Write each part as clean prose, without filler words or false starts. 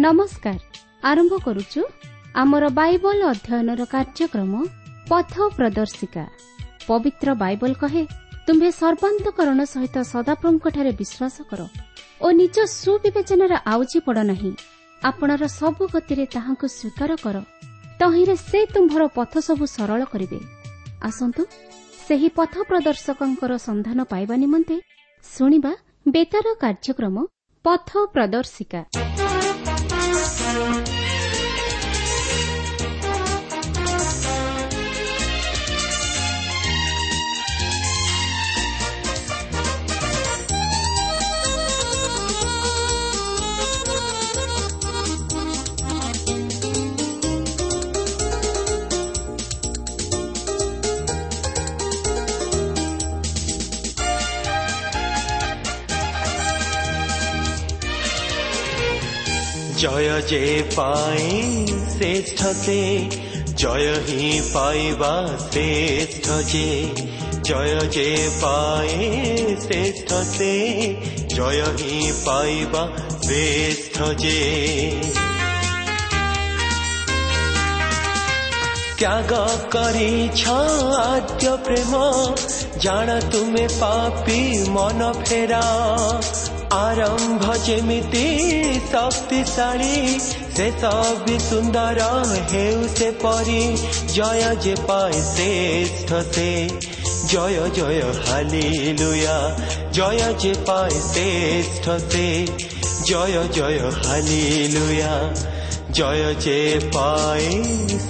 ନମସ୍କାର। ଆରମ୍ଭ କରୁଛୁ ଆମର ବାଇବଲ ଅଧ୍ୟୟନର କାର୍ଯ୍ୟକ୍ରମ ପଥ ପ୍ରଦର୍ଶିକା। ପବିତ୍ର ବାଇବଲ କହେ, ତୁମ୍ଭେ ସର୍ବାନ୍ତକରଣ ସହିତ ସଦାପ୍ରଭୁଙ୍କଠାରେ ବିଶ୍ୱାସ କର ଓ ନିଜ ସୁବିବେଚନାରେ ଆଉଜି ପଡ଼ ନାହିଁ। ଆପଣାର ସବୁ ଗତିରେ ତାହାଙ୍କୁ ସ୍ୱୀକାର କର, ତହିଁରେ ସେ ତୁମ୍ଭର ପଥ ସବୁ ସରଳ କରିବେ। ଆସନ୍ତୁ ସେହି ପଥ ପ୍ରଦର୍ଶକଙ୍କର ସନ୍ଧାନ ପାଇବା ନିମନ୍ତେ ଶୁଣିବା ବେତାର କାର୍ଯ୍ୟକ୍ରମ ପଥ ପ୍ରଦର୍ଶିକା। ଜୟ ଯେ ପାଏ ଶ୍ରେଷ୍ଠ ସେ, ଜୟ ହିଁ ପାଇବା ଶ୍ରେଷ୍ଠ ଯେ। ଜୟ ଯେ ପାଏ ଶ୍ରେଷ୍ଠ ସେ, ଜୟ ହିଁ ପାଇବା ଶ୍ରେଷ୍ଠ ଯେ। ତ୍ୟାଗ କରିଛ ଆଦ୍ୟ ପ୍ରେମ, ଜାଣ ତୁମେ ପାପି ମନ ଫେରା। ଆରମ୍ଭ ଯେମିତି ଶକ୍ତିଶାଳୀ, ଶେଷ ବି ସୁନ୍ଦର ହେଉ ସେପରି। ଜୟ ଯେ ପାଏ ଶ୍ରେଷ୍ଠ ସେ, ଜୟ ଜୟ ହାଲିଲୁୟା। ଜୟ ଯେ ପାଏ ଶ୍ରେଷ୍ଠ ସେ, ଜୟ ଜୟ ହାଲିଲୁୟା। ଜୟ ଯେ ପାଏ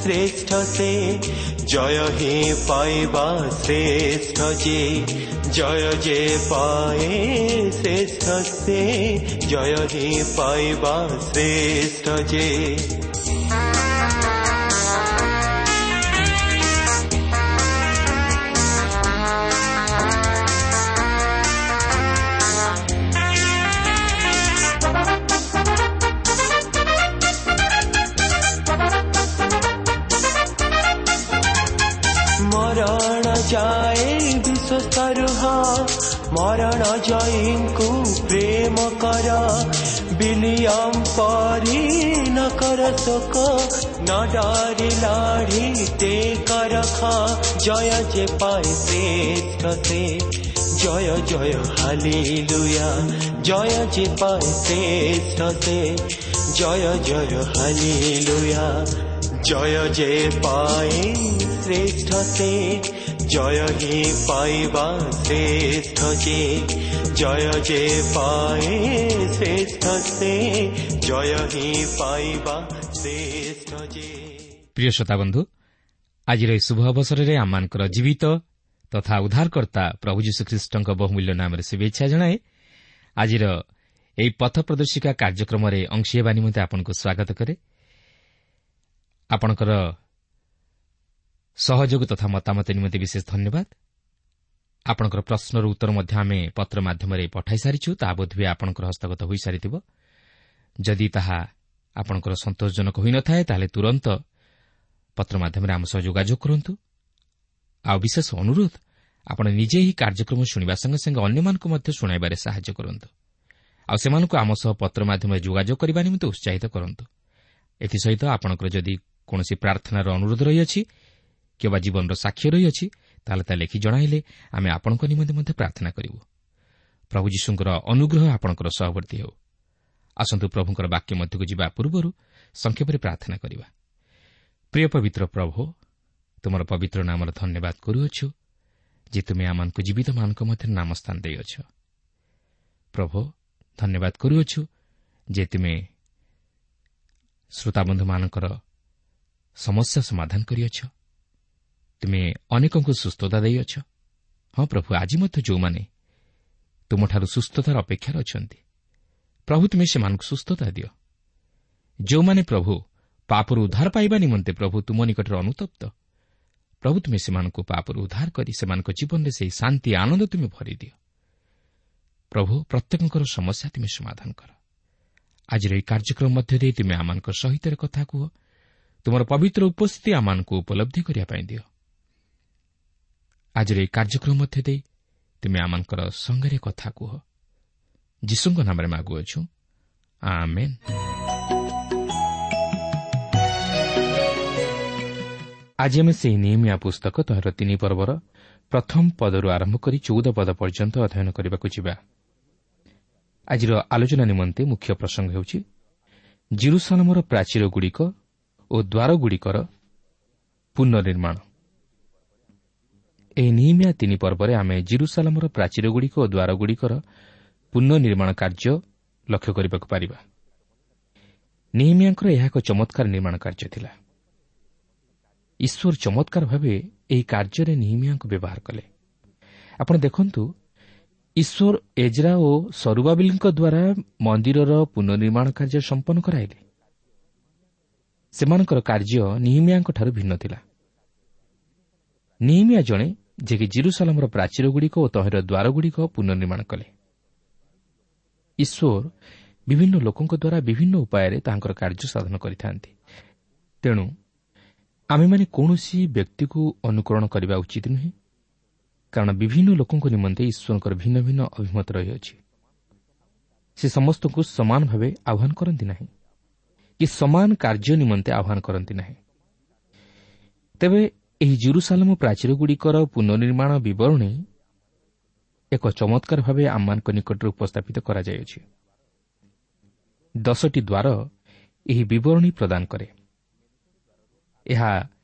ଶ୍ରେଷ୍ଠ ସେ, ଜୟ ହିଁ ପାଇବା ଶ୍ରେଷ୍ଠ ଯେ। ଜୟ ଯେ ପାଏ ଶ୍ରେଷ୍ଠ ସେ, ଜୟ ହିଁ ପାଇବା ଶ୍ରେଷ୍ଠ ଯେ। ମରଣ ଯାଏ ବିଶ୍ୱସ୍ତ ରୁହ, ମରଣ ଜୟୀଙ୍କୁ ପ୍ରେମ କର। ବିଲିୟମ ପରି ନ କର ଶୋକ, ନ ଡରି ଲଢ଼ି ଟେକ ରଖ। ଜୟ ଯେ ପାଏ ଶ୍ରେଷ୍ଠ ସେ, ଜୟ ଜୟ ହାଲିଲୁୟା। ଜୟ ଯେ ପାଏ ଶ୍ରେଷ୍ଠ ସେ, ଜୟ ଜୟ ହାଲିଲୁୟା। ଜୟ ଯେ ପାଏ ଶ୍ରେଷ୍ଠ ସେ, ଜୟ ହିଁ ପାଇବା ଶ୍ରେଷ୍ଠ ଯେ। ଜୟ ଯେ ପାଏ ଶ୍ରେଷ୍ଠ ସେ, ଜୟ ହିଁ ପାଇବା ଶ୍ରେଷ୍ଠ ଯେ। ପ୍ରିୟ ଶ୍ରୋତାବନ୍ଧୁ, ଆଜିର ଏହି ଶୁଭ ଅବସରରେ ଆମମାନଙ୍କର ଜୀବିତ ତଥା ଉଦ୍ଧାରକର୍ତ୍ତା ପ୍ରଭୁ ଯୀଶୁଖ୍ରୀଷ୍ଟଙ୍କ ବହୁମୂଲ୍ୟ ନାମରେ ଶୁଭେଚ୍ଛା ଜଣାଏ। ଆଜିର ଏହି ପଥ ପ୍ରଦର୍ଶିକା କାର୍ଯ୍ୟକ୍ରମରେ ଅଂଶୀ ହେବା ନିମନ୍ତେ ଆପଣଙ୍କୁ ସ୍ୱାଗତ କରେ। ଆପଣଙ୍କର ସହଯୋଗ ତଥା ମତାମତ ନିମନ୍ତେ ବିଶେଷ ଧନ୍ୟବାଦ। ଆପଣଙ୍କର ପ୍ରଶ୍ନର ଉତ୍ତର ମଧ୍ୟ ଆମେ ପତ୍ର ମାଧ୍ୟମରେ ପଠାଇ ସାରିଛୁ, ତାହା ବୋଧହୁଏ ଆପଣଙ୍କର ହସ୍ତଗତ ହୋଇସାରିଥିବ। ଯଦି ତାହା ଆପଣଙ୍କର ସନ୍ତୋଷଜନକ ହୋଇନଥାଏ, ତାହେଲେ ତୁରନ୍ତ ପତ୍ର ମାଧ୍ୟମରେ ଆମ ସହ ଯୋଗାଯୋଗ କରନ୍ତୁ। ଆଉ ବିଶେଷ ଅନୁରୋଧ, ଆପଣ ନିଜେ ଏହି କାର୍ଯ୍ୟକ୍ରମ ଶୁଣିବା ସଙ୍ଗେ ସଙ୍ଗେ ଅନ୍ୟମାନଙ୍କୁ ମଧ୍ୟ ଶୁଣାଇବାରେ ସାହାଯ୍ୟ କରନ୍ତୁ। ଆଉ ସେମାନଙ୍କୁ ଆମ ସହ ପତ୍ର ମାଧ୍ୟମରେ ଯୋଗାଯୋଗ କରିବା ନିମନ୍ତେ ଉତ୍ସାହିତ କରନ୍ତୁ। ଏଥିସହିତ ଆପଣଙ୍କର ଯଦି କୌଣସି ପ୍ରାର୍ଥନାର ଅନୁରୋଧ ରହିଅଛି କିମ୍ବା ଜୀବନର ସାକ୍ଷ୍ୟ ରହିଅଛି, ତାହେଲେ ତା ଲେଖି ଜଣାଇଲେ ଆମେ ଆପଣଙ୍କ ନିମନ୍ତେ ମଧ୍ୟ ପ୍ରାର୍ଥନା କରିବୁ। ପ୍ରଭୁ ଯୀଶୁଙ୍କର ଅନୁଗ୍ରହ ଆପଣଙ୍କର ସହବର୍ତ୍ତୀ ହେଉ। ଆସନ୍ତୁ ପ୍ରଭୁଙ୍କର ବାକ୍ୟ ମଧ୍ୟକୁ ଯିବା ପୂର୍ବରୁ ସଂକ୍ଷେପରେ ପ୍ରାର୍ଥନା କରିବା। ପ୍ରିୟ ପବିତ୍ର ପ୍ରଭୁ, ତୁମର ପବିତ୍ର ନାମର ଧନ୍ୟବାଦ କରୁଅଛୁ ଯେ ତୁମେ ଆମମାନଙ୍କୁ ଜୀବିତମାନଙ୍କ ମଧ୍ୟରେ ନାମ ସ୍ଥାନ ଦେଇଅଛ। ପ୍ରଭୁ, ଧନ୍ୟବାଦ କରୁଅଛୁ ଯେ ତୁମେ ଶ୍ରୋତାବନ୍ଧୁମାନଙ୍କର ସମସ୍ୟା ସମାଧାନ କରିଅଛ। ତୁମେ ଅନେକଙ୍କୁ ସୁସ୍ଥତା ଦେଇଅଛ। ହଁ ପ୍ରଭୁ, ଆଜି ମଧ୍ୟ ଯେଉଁମାନେ ତୁମଠାରୁ ସୁସ୍ଥତାର ଅପେକ୍ଷାରେ ଅଛନ୍ତି, ପ୍ରଭୁ ତୁମେ ସେମାନଙ୍କୁ ସୁସ୍ଥତା ଦିଅ। ଯେଉଁମାନେ ପ୍ରଭୁ ପାପରୁ ଉଦ୍ଧାର ପାଇବା ନିମନ୍ତେ ପ୍ରଭୁ ତୁମ ନିକଟରେ ଅନୁତପ୍ତ, ପ୍ରଭୁ ତୁମେ ସେମାନଙ୍କୁ ପାପରୁ ଉଦ୍ଧାର କରି ସେମାନଙ୍କ ଜୀବନରେ ସେହି ଶାନ୍ତି ଆନନ୍ଦ ତୁମେ ଭରିଦିଅ। ପ୍ରଭୁ, ପ୍ରତ୍ୟେକଙ୍କର ସମସ୍ୟା ତୁମେ ସମାଧାନ କର। ଆଜିର ଏହି କାର୍ଯ୍ୟକ୍ରମ ମଧ୍ୟ ଦେଇ ତୁମେ ଆମମାନଙ୍କ ସହିତ କଥା କୁହ। ତୁମର ପବିତ୍ର ଉପସ୍ଥିତି ଆମମାନଙ୍କୁ ଉପଲବ୍ଧି କରିବା ପାଇଁ ଦିଅ। ଆଜିର ଏହି କାର୍ଯ୍ୟକ୍ରମ ମଧ୍ୟ ଦେଇ ତୁମେ ଆମମାନଙ୍କର ସଙ୍ଗରେ କଥା କୁହ। ଯୀଶୁଙ୍କ ନାମରେ ମାଗୁଅଛୁ, ଆମେନ୍। ଆଜି ଆମେ ସେହି ନିୟମିଆ ପୁସ୍ତକ ତହିଁର 3 ପର୍ବର ପ୍ରଥମ ପଦରୁ ଆରମ୍ଭ କରି 14 ପଦ ପର୍ଯ୍ୟନ୍ତ ଅଧ୍ୟୟନ କରିବାକୁ ଯିବା। ଆଜିର ଆଲୋଚନା ନିମନ୍ତେ ମୁଖ୍ୟ ପ୍ରସଙ୍ଗ ହେଉଛି ଜିରୁସାଲମର ପ୍ରାଚୀରଗୁଡ଼ିକ ଓ ଦ୍ୱାରଗୁଡ଼ିକର ପୁନର୍ନିର୍ମାଣ। ଏହି ନିୟମିଆ 3 ପର୍ବରେ ଆମେ ଜିରୁସାଲମର ପ୍ରାଚୀରଗୁଡ଼ିକ ଓ ଦ୍ୱାରଗୁଡ଼ିକର ପୁନର୍ନିର୍ମାଣ କାର୍ଯ୍ୟ ଲକ୍ଷ୍ୟ କରିବାକୁ ପାରିବା। ନିୟମିଆଙ୍କର ଏହା ଏକ ଚମତ୍କାର ନିର୍ମାଣ କାର୍ଯ୍ୟ ଥିଲା। ଈଶ୍ୱର ଚମତ୍କାର ଭାବେ ଏହି କାର୍ଯ୍ୟରେ ନିହିମିଆଙ୍କୁ ବ୍ୟବହାର କଲେ। ଆପଣ ଦେଖନ୍ତୁ, ଈଶ୍ୱର ଏଜ୍ରା ଓ ସରୁବାବିଲଙ୍କ ଦ୍ୱାରା ମନ୍ଦିରର ପୁନର୍ନିର୍ମାଣ କାର୍ଯ୍ୟ ସମ୍ପନ୍ନ କରାଇଲେ। ସେମାନଙ୍କର କାର୍ଯ୍ୟ ନିହିମିଆଙ୍କଠାରୁ ଭିନ୍ନ ଥିଲା। ନିହିମିଆ ଜଣେ ଯିଏକି ଜିରୁସାଲମର ପ୍ରାଚୀରଗୁଡ଼ିକ ଓ ତହିଁର ଦ୍ୱାରଗୁଡ଼ିକ ପୁନର୍ନିର୍ମାଣ କଲେ। ଈଶ୍ୱର ବିଭିନ୍ନ ଲୋକଙ୍କ ଦ୍ୱାରା ବିଭିନ୍ନ ଉପାୟରେ ତାଙ୍କର କାର୍ଯ୍ୟ ସାଧନ କରିଥାନ୍ତି। ତେଣୁ ଆମେମାନେ କୌଣସି ବ୍ୟକ୍ତିକୁ ଅନୁକରଣ କରିବା ଉଚିତ ନୁହେଁ, କାରଣ ବିଭିନ୍ନ ଲୋକଙ୍କ ନିମନ୍ତେ ଈଶ୍ୱରଙ୍କର ଭିନ୍ନ ଭିନ୍ନ ଅଭିମତ ରହିଅଛି। ସେ ସମସ୍ତଙ୍କୁ ସମାନ ଭାବେ ଆହ୍ୱାନ କରନ୍ତି ନାହିଁ କି ସମାନ କାର୍ଯ୍ୟ ନିମନ୍ତେ ଆହ୍ୱାନ କରନ୍ତି ନାହିଁ। ତେବେ ଏହି ଜିରୁସାଲମ ପ୍ରାଚୀରଗୁଡ଼ିକର ପୁନର୍ନିର୍ମାଣ ବିବରଣୀ ଏକ ଚମତ୍କାର ଭାବେ ଆମମାନଙ୍କ ନିକଟରେ ଉପସ୍ଥାପିତ କରାଯାଇଅଛି। 10ଟି ଦ୍ୱାର ଏହି ବିବରଣୀ ପ୍ରଦାନ କରେ। ଏହା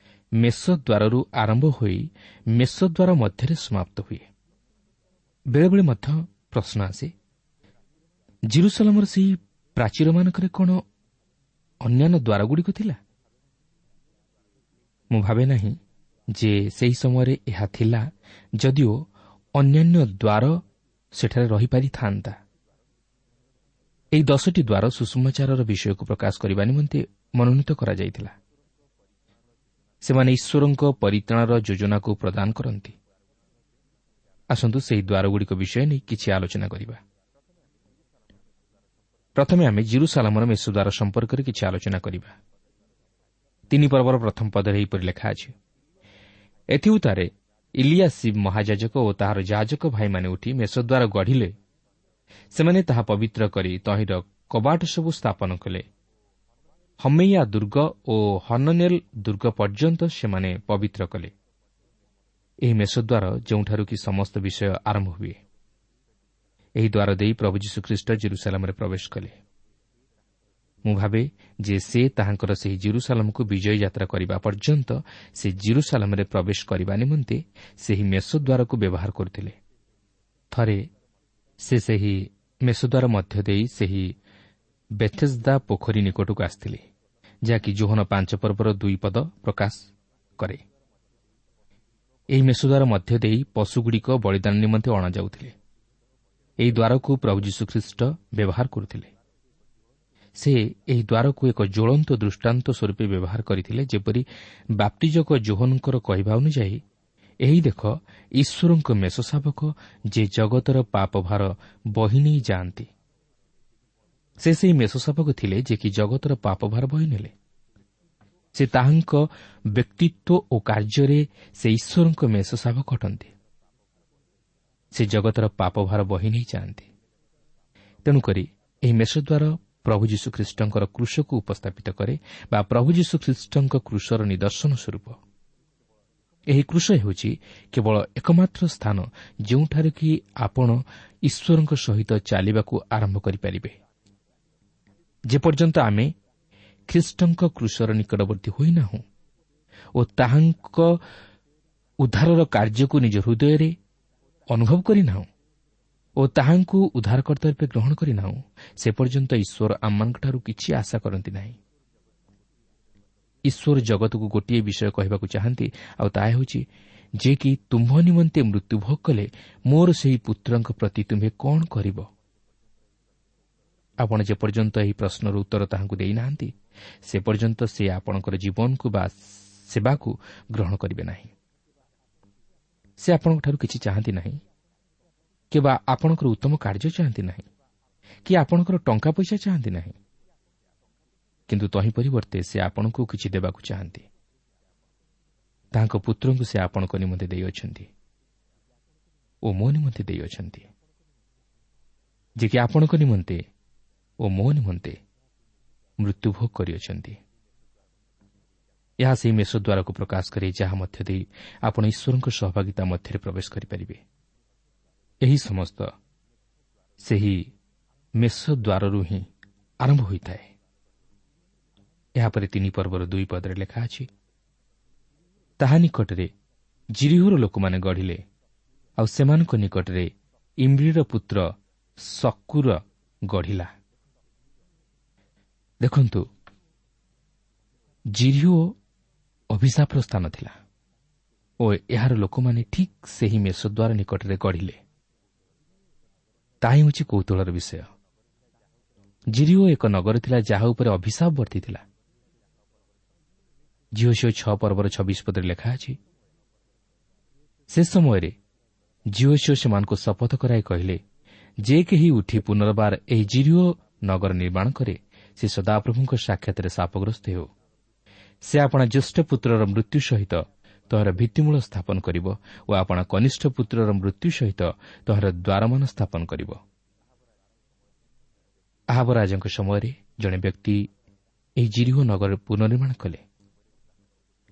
ମେଷଦ୍ୱାରରୁ ଆରମ୍ଭ ହୋଇ ମେଷଦ୍ୱାର ମଧ୍ୟରେ ସମାପ୍ତ ହୁଏ। ବେଳେବେଳେ ମଧ୍ୟ ପ୍ରଶ୍ନ ଆସେ, ଜିରୁସାଲମର ସେହି ପ୍ରାଚୀରମାନଙ୍କରେ କ'ଣ ଅନ୍ୟାନ୍ୟ ଦ୍ୱାରଗୁଡ଼ିକ ଥିଲା? ମୁଁ ଭାବେ ନାହିଁ ଯେ ସେହି ସମୟରେ ଏହା ଥିଲା, ଯଦିଓ ଅନ୍ୟାନ୍ୟ ଦ୍ୱାର ସେଠାରେ ରହିପାରିଥାନ୍ତା। ଏହି 10ଟି ଦ୍ୱାର ସୁସମାଚାରର ବିଷୟକୁ ପ୍ରକାଶ କରିବା ନିମନ୍ତେ ମନୋନୀତ କରାଯାଇଥିଲା। ସେମାନେ ଈଶ୍ୱରଙ୍କ ପରିତ୍ରାଣର ଯୋଜନାକୁ ପ୍ରଦାନ କରନ୍ତି। ଆସନ୍ତୁ ସେହି ଦ୍ୱାରଗୁଡ଼ିକ ବିଷୟ ନେଇ କିଛି ଆଲୋଚନା କରିବା। ପ୍ରଥମେ ଆମେ ଜିରୁସାଲମର ମେଷଦ୍ୱାର ସମ୍ପର୍କରେ କିଛି ଆଲୋଚନା କରିବା। 3 ପର୍ବର ପ୍ରଥମ ପଦରେ ଏହିପରି ଲେଖା ଅଛି, ଏଥିଉତ୍ତାରେ ଇଲିୟାସିବ ମହାଯାଜକ ଓ ତାହାର ଯାଜକ ଭାଇମାନେ ଉଠି ମେଷଦ୍ୱାର ଗଢ଼ିଲେ। ସେମାନେ ତାହା ପବିତ୍ର କରି ତହିଁର କବାଟ ସବୁ ସ୍ଥାପନ କଲେ। ହମେୟା ଦୁର୍ଗ ଓ ହନନେଲ ଦୁର୍ଗ ପର୍ଯ୍ୟନ୍ତ ସେମାନେ ପବିତ୍ର କଲେ। ଏହି ମେଷଦ୍ୱାର ଯେଉଁଠାରୁ କି ସମସ୍ତ ବିଷୟ ଆରମ୍ଭ ହୁଏ। ଏହି ଦ୍ୱାର ଦେଇ ପ୍ରଭୁ ଯୀଶୁଖ୍ରୀଷ୍ଟ ଜିରୁସାଲମରେ ପ୍ରବେଶ କଲେ। ମୁଁ ଭାବେ ଯେ ସେ ତାହାଙ୍କର ସେହି ଜିରୁସାଲମକୁ ବିଜୟୀ ଯାତ୍ରା କରିବା ପର୍ଯ୍ୟନ୍ତ ସେ ଜିରୁସାଲମରେ ପ୍ରବେଶ କରିବା ନିମନ୍ତେ ସେହି ମେଷଦ୍ୱାରକୁ ବ୍ୟବହାର କରୁଥିଲେ। ଥରେ ସେ ସେହି ମେଷଦ୍ୱାର ମଧ୍ୟ ଦେଇ ସେହି ବେଥେସ୍ଦା ପୋଖରୀ ନିକଟକୁ ଆସିଥିଲେ, ଯାହାକି ଯୋହନ 5 ପର୍ବର 2 ପଦ ପ୍ରକାଶ କରେ। ଏହି ମେଷଦ୍ୱାର ମଧ୍ୟ ଦେଇ ପଶୁଗୁଡ଼ିକ ବଳିଦାନ ନିମନ୍ତେ ଅଣାଯାଉଥିଲେ। ଏହି ଦ୍ୱାରକୁ ପ୍ରଭୁ ଯୀଶୁଖ୍ରୀଷ୍ଟ ବ୍ୟବହାର କରୁଥିଲେ। ସେ ଏହି ଦ୍ୱାରକୁ ଏକ ଜ୍ୱଳନ୍ତ ଦୃଷ୍ଟାନ୍ତ ସ୍ୱରୂପେ ବ୍ୟବହାର କରିଥିଲେ, ଯେପରି ବାପ୍ତିଜକ ଯୋହନଙ୍କର କହିବା ଅନୁଯାୟୀ, ଏହି ଦେଖ ଈଶ୍ୱରଙ୍କ ମେଷଶାବକ, ଯେ ଜଗତର ପାପଭାର ବହି ନେଇ ଯାଆନ୍ତି। ସେ ସେହି ମେଷଶାବକ ଥିଲେ ଯେ କି ଜଗତର ପାପଭାର ବହି ନେଲେ। ସେ ତାହାଙ୍କ ବ୍ୟକ୍ତିତ୍ୱ ଓ କାର୍ଯ୍ୟରେ ସେ ଈଶ୍ୱରଙ୍କ ମେଷଶାବକ ଅଟନ୍ତି। ସେ ଜଗତର ପାପଭାର ବହି ନେଇ ଯାଆନ୍ତି। ତେଣୁକରି ଏହି ମେଷଦ୍ୱାର ପ୍ରଭୁ ଯୀଶୁଖ୍ରୀଷ୍ଟଙ୍କର କ୍ରୁଶକୁ ଉପସ୍ଥାପିତ କରେ ବା ପ୍ରଭୁ ଯୀଶୁଖ୍ରୀଷ୍ଟଙ୍କ କ୍ରୁଶର ନିଦର୍ଶନ ସ୍ୱରୂପ। ଏହି କ୍ରୁଶ ହେଉଛି କେବଳ ଏକମାତ୍ର ସ୍ଥାନ ଯେଉଁଠାରେ କି ଆପଣ ଈଶ୍ୱରଙ୍କ ସହିତ ଚାଲିବାକୁ ଆରମ୍ଭ କରିପାରିବେ। ଯେପର୍ଯ୍ୟନ୍ତ ଆମେ ଖ୍ରୀଷ୍ଟଙ୍କ କ୍ରୁଶର ନିକଟବର୍ତ୍ତୀ ହୋଇନାହୁଁ ଓ ତାହାଙ୍କ ଉଦ୍ଧାରର କାର୍ଯ୍ୟକୁ ନିଜ ହୃଦୟରେ ଅନୁଭବ କରିନାହୁଁ ଓ ତାହାଙ୍କୁ ଉଦ୍ଧାରକର୍ତ୍ତା ରୂପେ ଗ୍ରହଣ କରିନାହୁଁ, ସେ ପର୍ଯ୍ୟନ୍ତ ଈଶ୍ୱର ଆମମାନଙ୍କଠାରୁ କିଛି ଆଶା କରନ୍ତି ନାହିଁ। ଈଶ୍ୱର ଜଗତକୁ ଗୋଟିଏ ବିଷୟ କହିବାକୁ ଚାହାନ୍ତି, ଆଉ ତାହା ହେଉଛି ଯେ କି ତୁମ୍ଭ ନିମନ୍ତେ ମୃତ୍ୟୁଭୋଗ କଲେ ମୋର ସେହି ପୁତ୍ରଙ୍କ ପ୍ରତି ତୁମ୍ଭେ କ'ଣ କରିବ? ଆପଣ ଯେପର୍ଯ୍ୟନ୍ତ ଏହି ପ୍ରଶ୍ନର ଉତ୍ତର ତାହାଙ୍କୁ ଦେଇନାହାନ୍ତି, ସେ ପର୍ଯ୍ୟନ୍ତ ସେ ଆପଣଙ୍କର ଜୀବନକୁ ବା ସେବାକୁ ଗ୍ରହଣ କରିବେ ନାହିଁ। ସେ ଆପଣଙ୍କଠାରୁ କିଛି ଚାହାନ୍ତି ନାହିଁ, କିମ୍ବା ଆପଣଙ୍କର ଉତ୍ତମ କାର୍ଯ୍ୟ ଚାହାନ୍ତି ନାହିଁ, କି ଆପଣଙ୍କର ଟଙ୍କା ପଇସା ଚାହାନ୍ତି ନାହିଁ, କିନ୍ତୁ ତହିଁ ପରିବର୍ତ୍ତେ ସେ ଆପଣଙ୍କୁ କିଛି ଦେବାକୁ ଚାହାନ୍ତି। ତାଙ୍କ ପୁତ୍ରଙ୍କୁ ସେ ଆପଣଙ୍କ ନିମନ୍ତେ ଦେଇଅଛନ୍ତି ଓ ମୋ ନିମନ୍ତେ ଦେଇଅଛନ୍ତି, ଯେ କି ଆପଣଙ୍କ ନିମନ୍ତେ ଓ ମୋ ନିମନ୍ତେ ମୃତ୍ୟୁଭୋଗ କରିଅଛନ୍ତି। ଏହା ସେହି ମେଷ ଦ୍ୱାରକୁ ପ୍ରକାଶ କରେ ଯାହା ମଧ୍ୟ ଦେଇ ଆପଣ ଈଶ୍ୱରଙ୍କ ସହଭାଗିତା ମଧ୍ୟରେ ପ୍ରବେଶ କରିପାରିବେ। ଏହି ସମସ୍ତ ସେହି ମେଷ ଦ୍ୱାରରୁ ହିଁ ଆରମ୍ଭ ହୋଇଥାଏ। ଏହାପରେ 3 ପର୍ବର 2 ପଦରେ ଲେଖା ଅଛି, ତାହା ନିକଟରେ ଜିରିହୋର ଲୋକମାନେ ଗଢ଼ିଲେ, ଆଉ ସେମାନଙ୍କ ନିକଟରେ ଇମ୍ରିର ପୁତ୍ର ସକୁର ଗଢ଼ିଲା। ଦେଖନ୍ତୁ, ଜିରିହୋ ଅଭିଶାପର ସ୍ଥାନ ଥିଲା ଓ ଏହାର ଲୋକମାନେ ଠିକ୍ ସେହି ମେଷଦ୍ୱାର ନିକଟରେ ଗଢ଼ିଲେ। ତାହା ହେଉଛି କୌତୂହଳର ବିଷୟ। ଜିରିହୋ ଏକ ନଗର ଥିଲା ଯାହା ଉପରେ ଅଭିଶାପ ବର୍ତ୍ତିଥିଲା। ଯିହୋଶୂୟ 6 ପର୍ବର 26 ପଦରେ ଲେଖା ଅଛି, ସେ ସମୟରେ ଯିହୋଶୂୟ ସେମାନଙ୍କୁ ଶପଥ କରାଇ କହିଲେ, ଯେ କେହି ଉଠି ପୁନର୍ବାର ଏହି ଜିରିହୋ ନଗର ନିର୍ମାଣ କରେ, ସେ ସଦାପ୍ରଭୁଙ୍କ ସାକ୍ଷାତରେ ଶାପଗ୍ରସ୍ତ ହେଉ। ସେ ଆପଣା ଜ୍ୟେଷ୍ଠ ପୁତ୍ରର ମୃତ୍ୟୁ ସହିତ ତହିଁର ଭିତ୍ତିମୂଳ ସ୍ଥାପନ କରିବ ଓ ଆପଣା କନିଷ୍ଠ ପୁତ୍ରର ମୃତ୍ୟୁ ସହିତ ତହିଁର ଦ୍ୱାରମାନ ସ୍ଥାପନ କରିବ। ଆହାବ ରାଜାଙ୍କ ସମୟରେ ଜଣେ ବ୍ୟକ୍ତି ଏହି ଜିରିହୋ ନଗର ପୁନର୍ନିର୍ମାଣ କଲେ,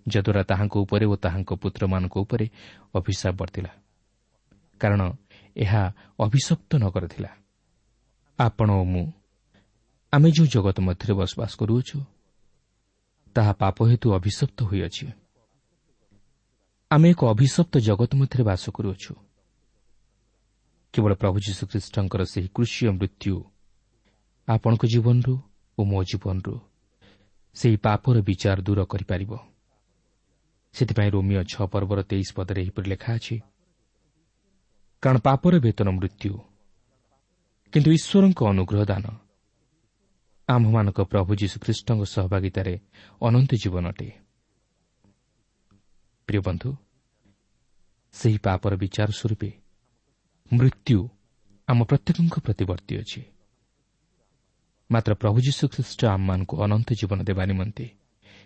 ଯଦ୍ୱାରା ତାହାଙ୍କ ଉପରେ ଓ ତାହାଙ୍କ ପୁତ୍ରମାନଙ୍କ ଉପରେ ଅଭିଶାପ ବର୍ତ୍ତିଲା, କାରଣ ଏହା ଅଭିଶପ୍ତ ନଗର ଥିଲା। ଆପଣ ଓ ମୁଁ ଆମେ ଯେଉଁ ଜଗତ ମଧ୍ୟରେ ବସବାସ କରୁଅଛୁ ତାହା ପାପ ହେତୁ ଅଭିଶପ୍ତ ହୋଇଅଛି। ଆମେ ଏକ ଅଭିଶପ୍ତ ଜଗତ ମଧ୍ୟରେ ବାସ କରୁଅଛୁ। କେବଳ ପ୍ରଭୁ ଯୀଶୁଖ୍ରୀଷ୍ଟଙ୍କର ସେହି କୃଷୀୟ ମୃତ୍ୟୁ ଆପଣଙ୍କ ଜୀବନରୁ ଓ ମୋ ଜୀବନରୁ ସେହି ପାପର ବିଚାର ଦୂର କରିପାରିବ। ସେଥିପାଇଁ ରୋମିଓ 6 ପର୍ବର 23 ପଦରେ ଏହିପରି ଲେଖା ଅଛି, କାରଣ ପାପର ବେତନ ମୃତ୍ୟୁ, କିନ୍ତୁ ଈଶ୍ୱରଙ୍କ ଅନୁଗ୍ରହ ଦାନ ଆମ୍ଭମାନଙ୍କ ପ୍ରଭୁ ଯୀଶୁଖ୍ରୀଷ୍ଟଙ୍କ ସହଭାଗିତାରେ ଅନନ୍ତ ଜୀବନ ଅଟେ। ପ୍ରିୟ ବନ୍ଧୁ, ସେହି ପାପର ବିଚାର ସ୍ୱରୂପେ ମୃତ୍ୟୁ ଆମ ପ୍ରତ୍ୟେକଙ୍କ ପ୍ରତି ବର୍ତ୍ତି ଅଛି। ମାତ୍ର ପ୍ରଭୁ ଯୀଶୁଖ୍ରୀଷ୍ଟ ଆମମାନଙ୍କୁ ଅନନ୍ତ ଜୀବନ ଦେବା ନିମନ୍ତେ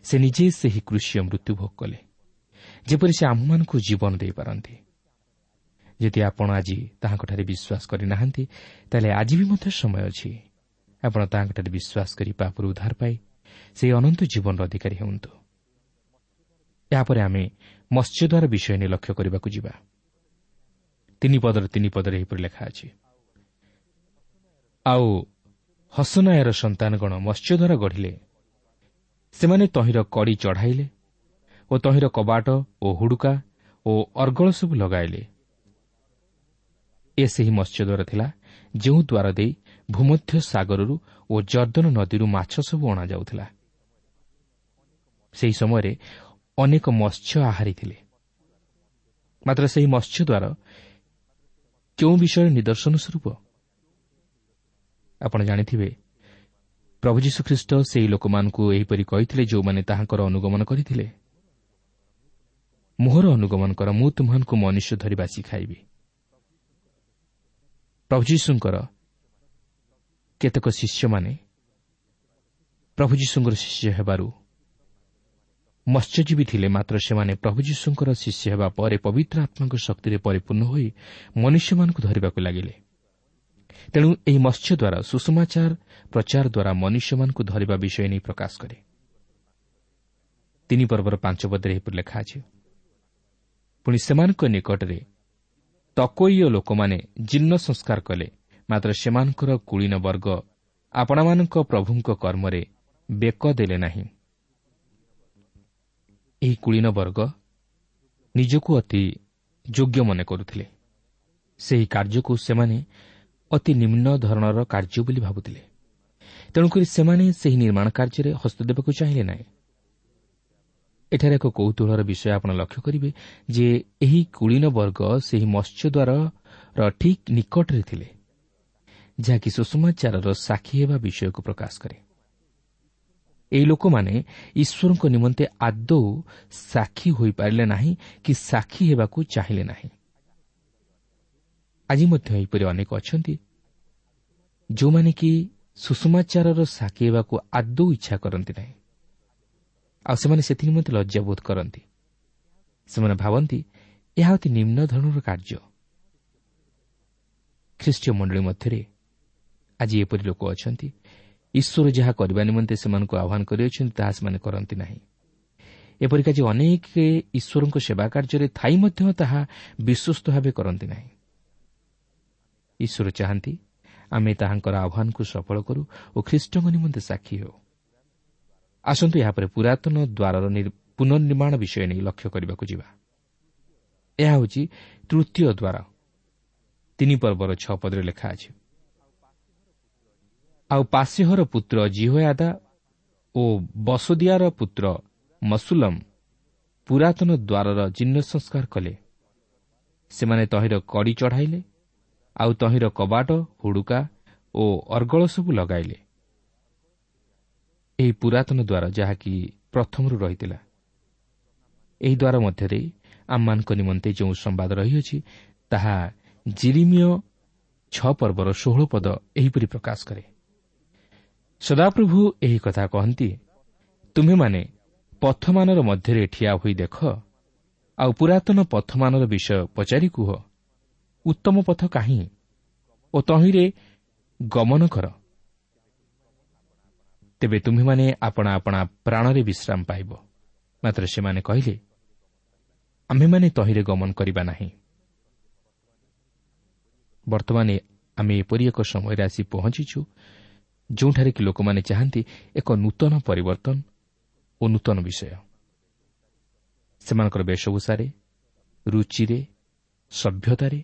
ସେ ନିଜେ ସେହି କୃଷୀୟ ମୃତ୍ୟୁ ଭୋଗ କଲେ, ଯେପରି ସେ ଆମ୍ଭମାନଙ୍କୁ ଜୀବନ ଦେଇପାରନ୍ତି। ଯଦି ଆପଣ ଆଜି ତାହାଙ୍କଠାରେ ବିଶ୍ୱାସ କରିନାହାନ୍ତି, ତାହେଲେ ଆଜି ବି ମଧ୍ୟ ସମୟ ଅଛି। ଆପଣ ତାହାଙ୍କଠାରେ ବିଶ୍ୱାସ କରି ପାପରୁ ଉଦ୍ଧାର ପାଇ ସେହି ଅନନ୍ତ ଜୀବନର ଅଧିକାରୀ ହୁଅନ୍ତୁ। ଏହାପରେ ଆମେ ମତ୍ସ୍ୟଦ୍ୱାର ବିଷୟ ନେଇ ଲକ୍ଷ୍ୟ କରିବାକୁ ଯିବା। 3 ପଦର 3 ପଦରେ ଏହିପରି ଲେଖା ଅଛି, ଆଉ ହସନାୟର ସନ୍ତାନଗଣ ମତ୍ସ୍ୟଦ୍ୱାର ଗଢ଼ିଲେ, ସେମାନେ ତହିଁର କଡ଼ି ଚଢ଼ାଇଲେ ଓ ତହିଁର କବାଟ ଓ ହୁଡ଼ୁକା ଓ ଅର୍ଗଳ ସବୁ ଲଗାଇଲେ। ଏ ସେହି ମତ୍ସ୍ୟଦ୍ୱାର ଥିଲା ଯେଉଁ ଦ୍ୱାର ଦେଇ ଭୂମଧ୍ୟ ସାଗରରୁ ଓ ଜର୍ଦ୍ଦନ ନଦୀରୁ ମାଛ ସବୁ ଅଣାଯାଉଥିଲା। ସେହି ସମୟରେ ଅନେକ ମତ୍ସ୍ୟ ଆହାରୀ ଥିଲେ। ମାତ୍ର ସେହି ମତ୍ସ୍ୟଦ୍ୱାର କେଉଁ ବିଷୟରେ ନିଦର୍ଶନ ସ୍ୱରୂପ? ଆପଣ ଜାଣିଥିବେ, ପ୍ରଭୁ ଯୀଶୁଖ୍ରୀଷ୍ଟ ସେହି ଲୋକମାନଙ୍କୁ ଏହିପରି କହିଥିଲେ ଯେଉଁମାନେ ତାହାଙ୍କର ଅନୁଗମନ କରିଥିଲେ, ମୋହର ଅନୁଗମନ କର, ମୁଁ ତୁମ୍ଭମାନଙ୍କୁ ମନୁଷ୍ୟ ଧରିବା ଶିଖାଇବି। ପ୍ରଭୁ ଯୀଶୁଙ୍କର କେତେକ ଶିଷ୍ୟମାନେ ପ୍ରଭୁ ଯୀଶୁଙ୍କର ଶିଷ୍ୟ ହେବାରୁ ମତ୍ସ୍ୟଜୀବୀ ଥିଲେ, ମାତ୍ର ସେମାନେ ପ୍ରଭୁ ଯୀଶୁଙ୍କର ଶିଷ୍ୟ ହେବା ପରେ ପବିତ୍ର ଆତ୍ମାଙ୍କ ଶକ୍ତିରେ ପରିପୂର୍ଣ୍ଣ ହୋଇ ମନୁଷ୍ୟମାନଙ୍କୁ ଧରିବାକୁ ଲାଗିଲେ। ତେଣୁ ଏହି ମତ୍ସ୍ୟ ଦ୍ୱାରା ସୁସମାଚାର ପ୍ରଚାର ଦ୍ୱାରା ମନୁଷ୍ୟମାନଙ୍କୁ ଧରିବା ବିଷୟ ନେଇ ପ୍ରକାଶ କରେ। 3 ପର୍ବର 5 ପଦରେ ଏହିପରି ଲେଖା ଅଛି, ପୁଣି ସେମାନଙ୍କ ନିକଟରେ ତକୋଇୟ ଲୋକମାନେ ଜୀର୍ଣ୍ଣ ସଂସ୍କାର କଲେ, ମାତ୍ର ସେମାନଙ୍କର କୁଳୀନ ବର୍ଗ ଆପଣାମାନଙ୍କ ପ୍ରଭୁଙ୍କ କର୍ମରେ ବେକ ଦେଲେ ନାହିଁ। ଏହି କୁଳୀନ ବର୍ଗ ନିଜକୁ ଅତି ଯୋଗ୍ୟ ମନେ କରୁଥିଲେ। ସେହି କାର୍ଯ୍ୟକୁ ସେମାନେ ଅତି ନିମ୍ନ ଧରଣର କାର୍ଯ୍ୟ ବୋଲି ଭାବୁଥିଲେ। ତେଣୁକରି ସେମାନେ ସେହି ନିର୍ମାଣ କାର୍ଯ୍ୟରେ ହସ୍ତ ଦେବାକୁ ଚାହିଁଲେ ନାହିଁ। ଏଠାରେ ଏକ କୌତୂହଳର ବିଷୟ ଆପଣ ଲକ୍ଷ୍ୟ କରିବେ ଯେ ଏହି କୁଳୀନ ବର୍ଗ ସେହି ମତ୍ସ୍ୟଦ୍ୱାରର ଠିକ୍ ନିକଟରେ ଥିଲେ, ଯାହାକି ସୁସମାଚାରର ସାକ୍ଷୀ ହେବା ବିଷୟକୁ ପ୍ରକାଶ କରେ। ଏହି ଲୋକମାନେ ଈଶ୍ୱରଙ୍କ ନିମନ୍ତେ ଆଦୌ ସାକ୍ଷୀ ହୋଇପାରିଲେ ନାହିଁ କି ସାକ୍ଷୀ ହେବାକୁ ଚାହିଁଲେ ନାହିଁ। ଆଜି ମଧ୍ୟ ଏହିପରି ଅନେକ ଅଛନ୍ତି ଯେଉଁମାନେ କି ସୁସମାଚାରର ସାକ୍ଷୀ ହେବାକୁ ଆଦୌ ଇଚ୍ଛା କରନ୍ତି ନାହିଁ, ଆଉ ସେମାନେ ସେଥି ନିମନ୍ତେ ଲଜ୍ଜାବୋଧ କରନ୍ତି। ସେମାନେ ଭାବନ୍ତି ଏହା ଅତି ନିମ୍ନ ଧରଣର କାର୍ଯ୍ୟ। ଖ୍ରୀଷ୍ଟୀୟ ମଣ୍ଡଳୀ ମଧ୍ୟରେ ଆଜି ଏପରି ଲୋକ ଅଛନ୍ତି, ଈଶ୍ୱର ଯାହା କରିବା ନିମନ୍ତେ ସେମାନଙ୍କୁ ଆହ୍ୱାନ କରିଅଛନ୍ତି ତାହା ସେମାନେ କରନ୍ତି ନାହିଁ। ଏପରିକା ଯେ ଅନେକ ଈଶ୍ୱରଙ୍କ ସେବା କାର୍ଯ୍ୟରେ ଥାଇ ମଧ୍ୟ ତାହା ବିଶ୍ୱସ୍ତ ଭାବେ କରନ୍ତି ନାହିଁ। ଈଶ୍ୱର ଚାହାନ୍ତି ଆମେ ତାହାଙ୍କର ଆହ୍ୱାନକୁ ସଫଳ କରୁ ଓ ଖ୍ରୀଷ୍ଟଙ୍କ ନିମନ୍ତେ ସାକ୍ଷୀ ହେଉ। ଆସନ୍ତୁ ଏହାପରେ ପୁରାତନ ଦ୍ୱାରର ପୁନର୍ନିର୍ମାଣ ବିଷୟ ନେଇ ଲକ୍ଷ୍ୟ କରିବାକୁ ଯିବା। ଏହା ହେଉଛି ତୃତୀୟ ଦ୍ୱାର। 3 ପର୍ବର 6 ପଦରେ ଲେଖା ଅଛି, ଆଉ ପାଶେହର ପୁତ୍ର ଜିହୋୟାଦା ଓ ବସୋଦିଆର ପୁତ୍ର ମସୁଲମ ପୁରାତନ ଦ୍ୱାରର ଜୀର୍ଣ୍ଣ ସଂସ୍କାର କଲେ। ସେମାନେ ତହିଁର କଡ଼ି ଚଢ଼ାଇଲେ, ଆଉ ତହିଁର କବାଟ, ହୁଡ଼ୁକା ଓ ଅର୍ଗଳ ସବୁ ଲଗାଇଲେ। ଏହି ପୁରାତନ ଦ୍ୱାର ଯାହାକି ପ୍ରଥମରୁ ରହିଥିଲା, ଏହି ଦ୍ୱାର ମଧ୍ୟରେ ଆମମାନଙ୍କ ନିମନ୍ତେ ଯେଉଁ ସମ୍ବାଦ ରହିଅଛି ତାହା ଜିରିମିୟ 6 ପର୍ବର 16 ପଦ ଏହିପରି ପ୍ରକାଶ କରେ, ସଦାପ୍ରଭୁ ଏହି କଥା କହନ୍ତି, ତୁମ୍ଭେମାନେ ପଥମାନର ମଧ୍ୟରେ ଠିଆ ହୋଇ ଦେଖ, ଆଉ ପୁରାତନ ପଥମାନର ବିଷୟ ପଚାରି କୁହ, ଉତ୍ତମ ପଥ କାହିଁ ଓ ତହିଁରେ ଗମନ କର, ତେବେ ତୁମ୍ଭେମାନେ ଆପଣା ଆପଣା ପ୍ରାଣରେ ବିଶ୍ରାମ ପାଇବ। ମାତ୍ର ସେମାନେ କହିଲେ, ଆମ୍ଭେମାନେ ତହିଁରେ ଗମନ କରିବା ନାହିଁ। ବର୍ତ୍ତମାନ ଆମେ ଏପରି ଏକ ସମୟରେ ଆସି ପହଞ୍ଚିଛୁ ଯେଉଁଠାରେ କି ଲୋକମାନେ ଚାହାନ୍ତି ଏକ ନୂତନ ପରିବର୍ତ୍ତନ ଓ ନୂତନ ବିଷୟ। ସେମାନଙ୍କର ବେଶଭୂଷାରେ, ରୁଚିରେ, ସଭ୍ୟତାରେ,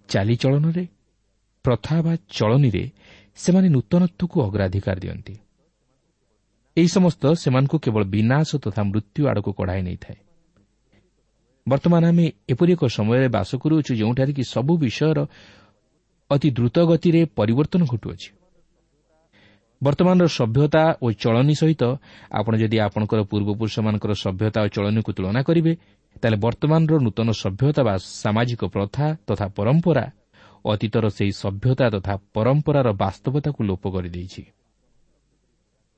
ଚାଲିଚଳନରେ, ପ୍ରଥା ବା ଚଳନୀରେ ସେମାନେ ନୂତନତ୍ୱକୁ ଅଗ୍ରାଧିକାର ଦିଅନ୍ତି। ଏହି ସମସ୍ତ ସେମାନଙ୍କୁ କେବଳ ବିନାଶ ତଥା ମୃତ୍ୟୁ ଆଡ଼କୁ କଢ଼ାଇ ନେଇଥାଏ। ବର୍ତ୍ତମାନ ଆମେ ଏପରି ଏକ ସମୟରେ ବାସ କରୁଅଛୁ ଯେଉଁଠାରେ କି ସବୁ ବିଷୟର ଅତି ଦ୍ରୁତ ଗତିରେ ପରିବର୍ତ୍ତନ ଘଟୁଅଛି। ବର୍ତ୍ତମାନର ସଭ୍ୟତା ଓ ଚଳନୀ ସହିତ ଆପଣ ଯଦି ଆପଣଙ୍କର ପୂର୍ବପୁରୁଷମାନଙ୍କର ସଭ୍ୟତା ଓ ଚଳନୀକୁ ତୁଳନା କରିବେ, ତାହେଲେ ବର୍ତ୍ତମାନର ନୂତନ ସଭ୍ୟତା ବା ସାମାଜିକ ପ୍ରଥା ତଥା ପରମ୍ପରା ଅତୀତର ସେହି ସଭ୍ୟତା ତଥା ପରମ୍ପରାର ବାସ୍ତବତାକୁ ଲୋପ କରିଦେଇଛି।